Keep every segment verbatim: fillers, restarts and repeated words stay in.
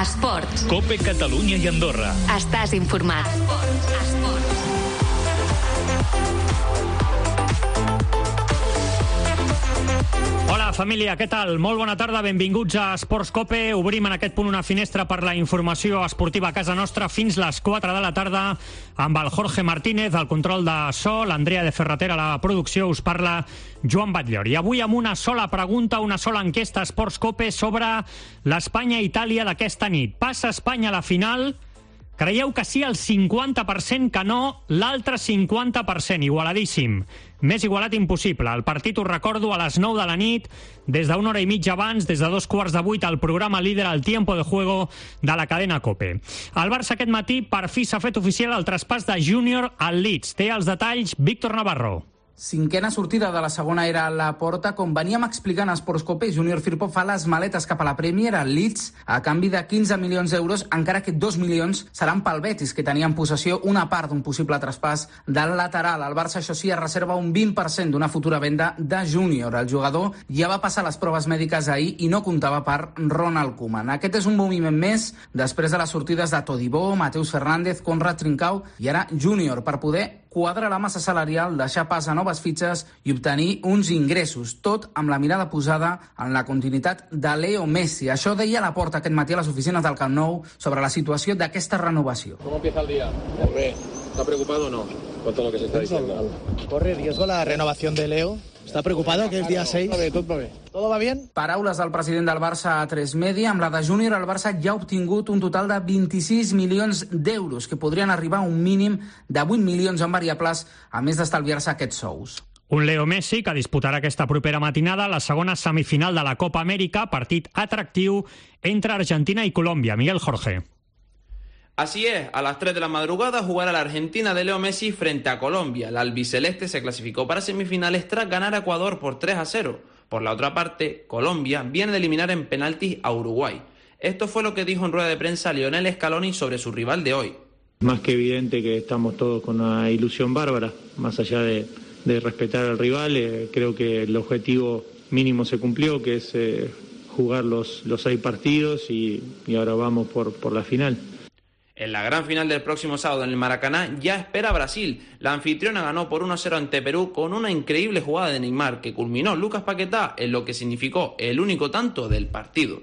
Esports. COPE Catalunya i Andorra. Estàs informat. Esports. Esports. Hola, família, què tal? Molt bona tarda, benvinguts a Esports COPE. Obrim en aquest punt una finestra per la informació esportiva a casa nostra fins les quatre de la tarda amb el Jorge Martínez, el control de so, l'Andrea de Ferrater a la producció, us parla Joan Batllor. I avui amb una sola pregunta, una sola enquesta a Esports COPE sobre l'Espanya-Itàlia d'aquesta nit. Passa Espanya a la final? Creieu que sí el cinquanta per cent, que no l'altre cinquanta per cent, igualadíssim. Més igualat impossible. El partit, us recordo, a les nou de la nit, des d'una hora i mitja abans, des de dos quarts de vuit, al programa líder, al Tiempo de Juego de la cadena COPE. El Barça aquest matí per fi s'ha fet oficial el traspàs de Júnior al Leeds. Té els detalls Víctor Navarro. Cinquena sortida de la segona era a la porta. Com veníem explicant a Esports COPE, Júnior Firpo fa les maletes cap a la Premier, al Leeds, a canvi de quinze milions d'euros, encara que dos milions seran pel Betis, que tenia en possessió una part d'un possible traspàs del lateral. El Barça, això sí, es reserva un vint per cent d'una futura venda de Júnior. El jugador ja va passar les proves mèdiques ahir i no comptava per Ronald Koeman. Aquest és un moviment més després de les sortides de Todibó, Mateus Fernández, Conrad Trincao i ara Júnior, per poder quadrar la massa salarial, deixar pas a noves fitxes i obtenir uns ingressos, tot amb la mirada posada en la continuïtat de Leo Messi. Això deia Laporta aquest matí a les oficines del Camp Nou sobre la situació d'aquesta renovació. ¿Cómo empieza el día? Muy bien. ¿Está preocupado o no con todo lo que se está diciendo? ¿Corre riesgo la renovación de Leo? ¿Está preocupado que el día seis? Todo va bé, tot va bé. ¿Todo va bien? Paraules del president del Barça a tres Media. Amb la de Júnior, el Barça ja ha obtingut un total de vint-i-sis milions d'euros, que podrien arribar a un mínim de vuit milions en variables, a més d'estalviar-se aquests sous. Un Leo Messi que disputarà aquesta propera matinada la segona semifinal de la Copa Amèrica, partit atractiu entre Argentina i Colòmbia. Miguel Jorge. Así es, a las tres de la madrugada jugará la Argentina de Leo Messi frente a Colombia. La albiceleste se clasificó para semifinales tras ganar a Ecuador por tres a cero. Por la otra parte, Colombia viene de eliminar en penaltis a Uruguay. Esto fue lo que dijo en rueda de prensa Lionel Scaloni sobre su rival de hoy. Más que evidente que estamos todos con una ilusión bárbara, más allá de, de respetar al rival, eh, creo que el objetivo mínimo se cumplió, que es eh, jugar los, los seis partidos y, y ahora vamos por, por la final. En la gran final del próximo sábado en el Maracaná ya espera Brasil. La anfitriona ganó por uno a cero ante Perú con una increíble jugada de Neymar que culminó Lucas Paquetá en lo que significó el único tanto del partido.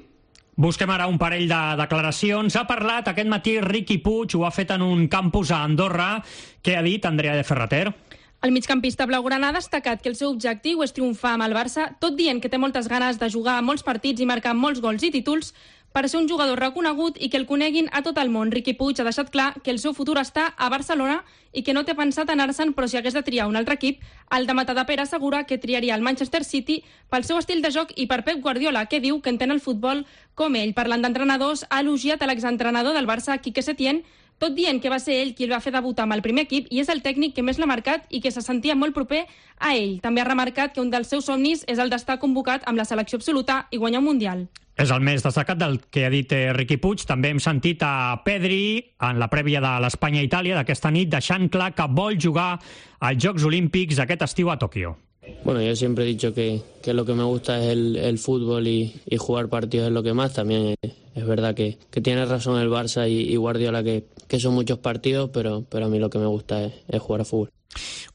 Busquem ara un parell de declaracions. Ha parlat aquest matí Riqui Puig, ho ha fet en un campus a Andorra. Què ha dit Andrea de Ferrater? El migcampista blaugrana ha destacat que el seu objectiu és triomfar amb el Barça, tot dient que té moltes ganes de jugar a molts partits i marcar molts gols i títols per ser un jugador reconegut i que el coneguin a tot el món. Riqui Puig ha deixat clar que el seu futur està a Barcelona i que no té pensat anar-se'n, però si hagués de triar un altre equip, el de Matadepera assegura que triaria el Manchester City pel seu estil de joc i per Pep Guardiola, que diu que entén el futbol com ell. Parlant d'entrenadors, ha elogiat a l'exentrenador del Barça, Quique Setién, tot dient que va ser ell qui el va fer debutar amb el primer equip i és el tècnic que més l'ha marcat i que se sentia molt proper a ell. També ha remarcat que un dels seus somnis és el d'estar convocat amb la selecció absoluta i guanyar un Mundial. És el més destacat del que ha dit Riqui Puig. També hem sentit a Pedri en la prèvia de l'Espanya-Itàlia d'aquesta nit, deixant clar que vol jugar als Jocs Olímpics aquest estiu a Tòquio. Bueno, yo siempre he dicho que, que lo que me gusta es el, el fútbol y, y jugar partidos es lo que más. También es, es verdad que, que tiene razón el Barça y, y Guardiola que, que son muchos partidos, pero, pero a mí lo que me gusta es, es jugar a fútbol.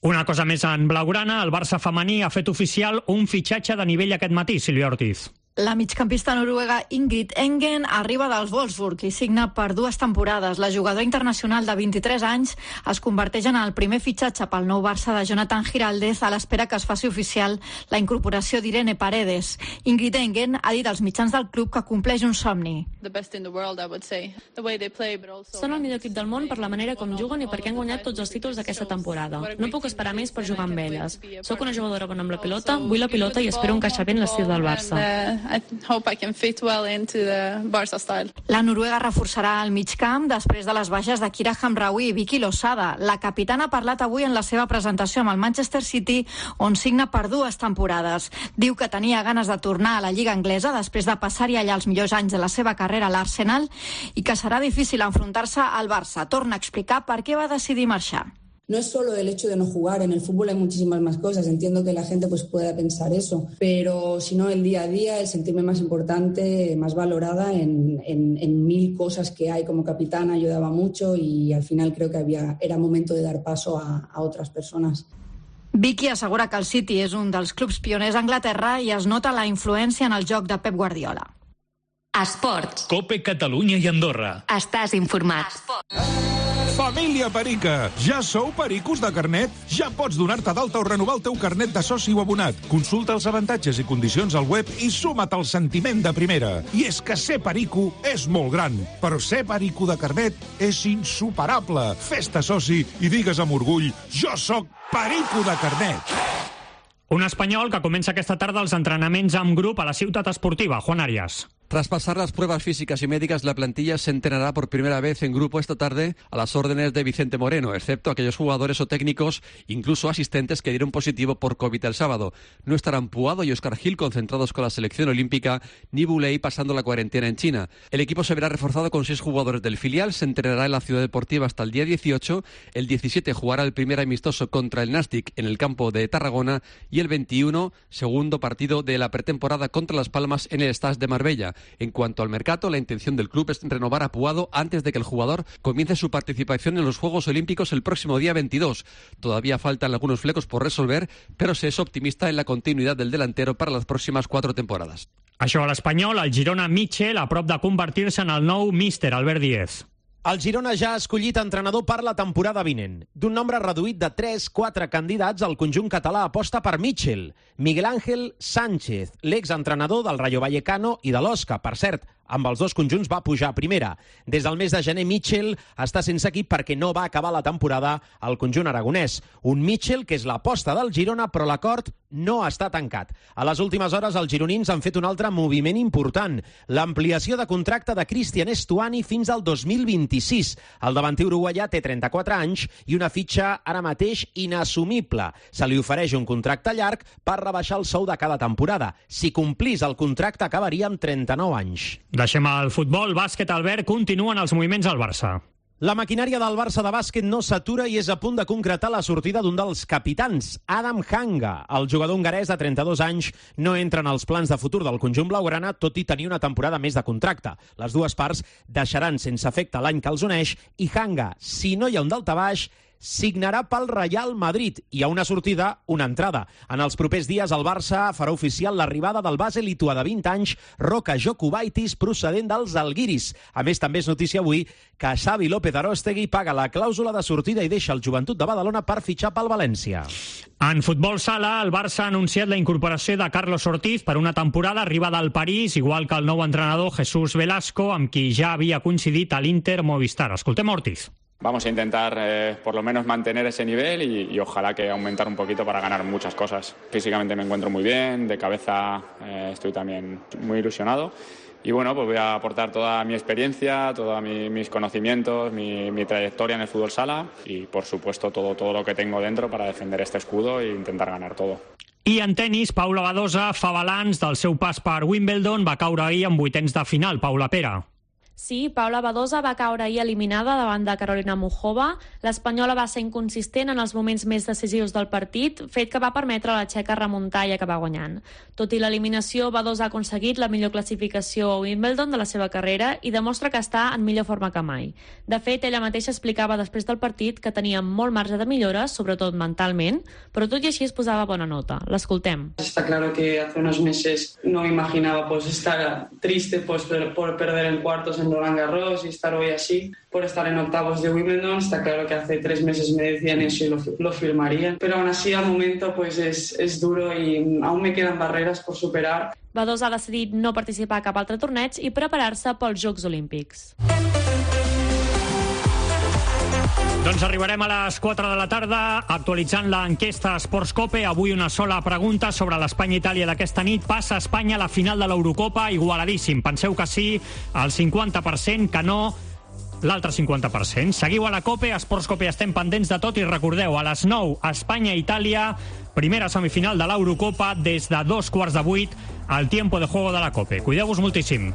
Una cosa més en blaugrana, el Barça femení ha fet oficial un fitxatge de nivell aquest matí, Sílvia Ortiz. La migcampista noruega Ingrid Engen arriba dels Wolfsburg i signa per dues temporades. La jugadora internacional de vint-i-tres anys es converteix en el primer fitxatge pel nou Barça de Jonathan Giraldez a l'espera que es faci oficial la incorporació d'Irene Paredes. Ingrid Engen ha dit als mitjans del club que compleix un somni. Són el millor equip del món per la manera com juguen i perquè han guanyat tots els títols d'aquesta temporada. No puc esperar més per jugar amb elles. Soc una jugadora bona amb la pilota, vull la pilota i espero encaixar bé en l'estil del Barça. I hope I can fit well into the Barça style. La noruega reforçarà el migcamp després de les baixes de Kira Hamraoui i Vicky Losada. La capitana ha parlat avui en la seva presentació amb el Manchester City, on signa per dues temporades. Diu que tenia ganes de tornar a la Lliga Anglesa després de passar-hi allà els millors anys de la seva carrera a l'Arsenal i que serà difícil enfrontar-se al Barça. Torna a explicar per què va decidir marxar. No es solo el hecho de no jugar, en el fútbol hay muchísimas más cosas, entiendo que la gente pues pueda pensar eso, pero si no el día a día, el sentirme más importante, más valorada en, en, en mil cosas que hay como capitana ayudaba mucho y al final creo que había, era momento de dar paso a, a otras personas. Vicky assegura que el City és un dels clubs pioners a Anglaterra i es nota la influència en el joc de Pep Guardiola. Esports. Cope Catalunya i Andorra. Estàs informat. Família Perica, ja sou pericos de carnet? Ja pots donar-te d'alta o renovar el teu carnet de soci o abonat. Consulta els avantatges i condicions al web i suma't al sentiment de primera. I és que ser perico és molt gran, però ser perico de carnet és insuperable. Fes-te soci i digues amb orgull, jo sóc perico de carnet. Un espanyol que comença aquesta tarda els entrenaments amb grup a la ciutat esportiva. Juan Arias. Tras pasar las pruebas físicas y médicas, la plantilla se entrenará por primera vez en grupo esta tarde a las órdenes de Vicente Moreno, excepto aquellos jugadores o técnicos, incluso asistentes, que dieron positivo por COVID el sábado. No estarán Puado y Óscar Gil concentrados con la selección olímpica, ni Buley pasando la cuarentena en China. El equipo se verá reforzado con seis jugadores del filial, se entrenará en la Ciudad Deportiva hasta el día dieciocho, el diecisiete jugará el primer amistoso contra el Nàstic en el campo de Tarragona y el veintiuno, segundo partido de la pretemporada contra Las Palmas en el Stade de Marbella. En cuanto al mercado, la intención del club es renovar a Puado antes de que el jugador comience su participación en los Juegos Olímpicos el próximo día veintidós. Todavía faltan algunos flecos por resolver, pero se es optimista en la continuidad del delantero para las próximas cuatro temporadas. Això a l'Espanyol, el Girona Mitchell a prop de convertir-se en el nou míster Albert Díez. El Girona ja ha escollit entrenador per la temporada vinent. D'un nombre reduït de tres quatre candidats, el conjunt català aposta per Mitchell, Miguel Ángel Sánchez, l'exentrenador del Rayo Vallecano i de l'Osca. Per cert, amb els dos conjunts va pujar a primera. Des del mes de gener, Mitchell està sense equip perquè no va acabar la temporada al conjunt aragonès. Un Mitchell que és l'aposta del Girona, però l'acord no està tancat. A les últimes hores, els gironins han fet un altre moviment important, l'ampliació de contracte de Cristian Estuani fins al dos mil vint-i-sis. El davanter uruguaià té trenta-quatre anys i una fitxa ara mateix inassumible. Se li ofereix un contracte llarg per rebaixar el sou de cada temporada. Si complís el contracte, acabaria amb trenta-nou anys. Deixem el futbol, bàsquet, Albert, continuen els moviments al Barça. La maquinària del Barça de bàsquet no s'atura i és a punt de concretar la sortida d'un dels capitans, Adam Hanga. El jugador hongarès de trenta-dos anys no entra en els plans de futur del conjunt blaugrana, tot i tenir una temporada més de contracte. Les dues parts deixaran sense efecte l'any que els uneix i Hanga, si no hi ha un daltabaix, signarà pel Real Madrid. Hi ha una sortida, una entrada. En els propers dies el Barça farà oficial l'arribada del base lituà de vint anys, Roka Jokubaitis, procedent dels Žalgiris. A més, també és notícia avui que Xavi López Aróstegui paga la clàusula de sortida i deixa el Joventut de Badalona per fitxar pel València. En futbol sala, el Barça ha anunciat la incorporació de Carlos Ortiz per una temporada, arriba del París, igual que el nou entrenador Jesús Velasco, amb qui ja havia coincidit a l'Inter Movistar. Escoltem Ortiz. Vamos a intentar eh, por lo menos mantener ese nivel y, y ojalá que aumentar un poquito para ganar muchas cosas. Físicamente me encuentro muy bien, de cabeza eh, estoy también muy ilusionado y bueno, pues voy a aportar toda mi experiencia, todos mi, mis conocimientos, mi, mi trayectoria en el fútbol sala y por supuesto todo, todo lo que tengo dentro para defender este escudo e intentar ganar todo. I en tenis, Paula Badosa fa balanç del seu pas per Wimbledon, va caure ahir en vuitens de final. Paula Pera. Sí, Paula Badosa va caure ahir eliminada davant de Carolina Muchova. L'espanyola va ser inconsistent en els moments més decisius del partit, fet que va permetre a la txeca remuntar i acabar guanyant. Tot i l'eliminació, Badosa ha aconseguit la millor classificació a Wimbledon de la seva carrera i demostra que està en millor forma que mai. De fet, ella mateixa explicava després del partit que tenia molt marge de millora, sobretot mentalment, però tot i així es posava bona nota. L'escoltem. Está claro que hace unos meses no me imaginaba pues estar triste pues, por perder en cuartos en Roland Garros y estar hoy así por estar en octavos de Wimbledon. Está claro que hace tres meses me decían eso y lo, lo firmaría, pero aún así al momento pues es, es duro y aún me quedan barreras por superar. Badosa ha decidit no participar a cap altre torneig i preparar-se pels Jocs Olímpics. Doncs arribarem a les quatre de la tarda actualitzant l'enquesta Sportscope. Avui una sola pregunta sobre l'Espanya-Itàlia d'aquesta nit. Passa Espanya a la final de l'Eurocopa? Igualadíssim. Penseu que sí, el cinquanta per cent, que no, l'altre cinquanta per cent. Seguiu a la Cope, a Sportscope estem pendents de tot i recordeu, a les nou, Espanya-Itàlia, primera semifinal de l'Eurocopa des de dos quarts de vuit al tiempo de juego de la Cope. Cuideu-vos moltíssim.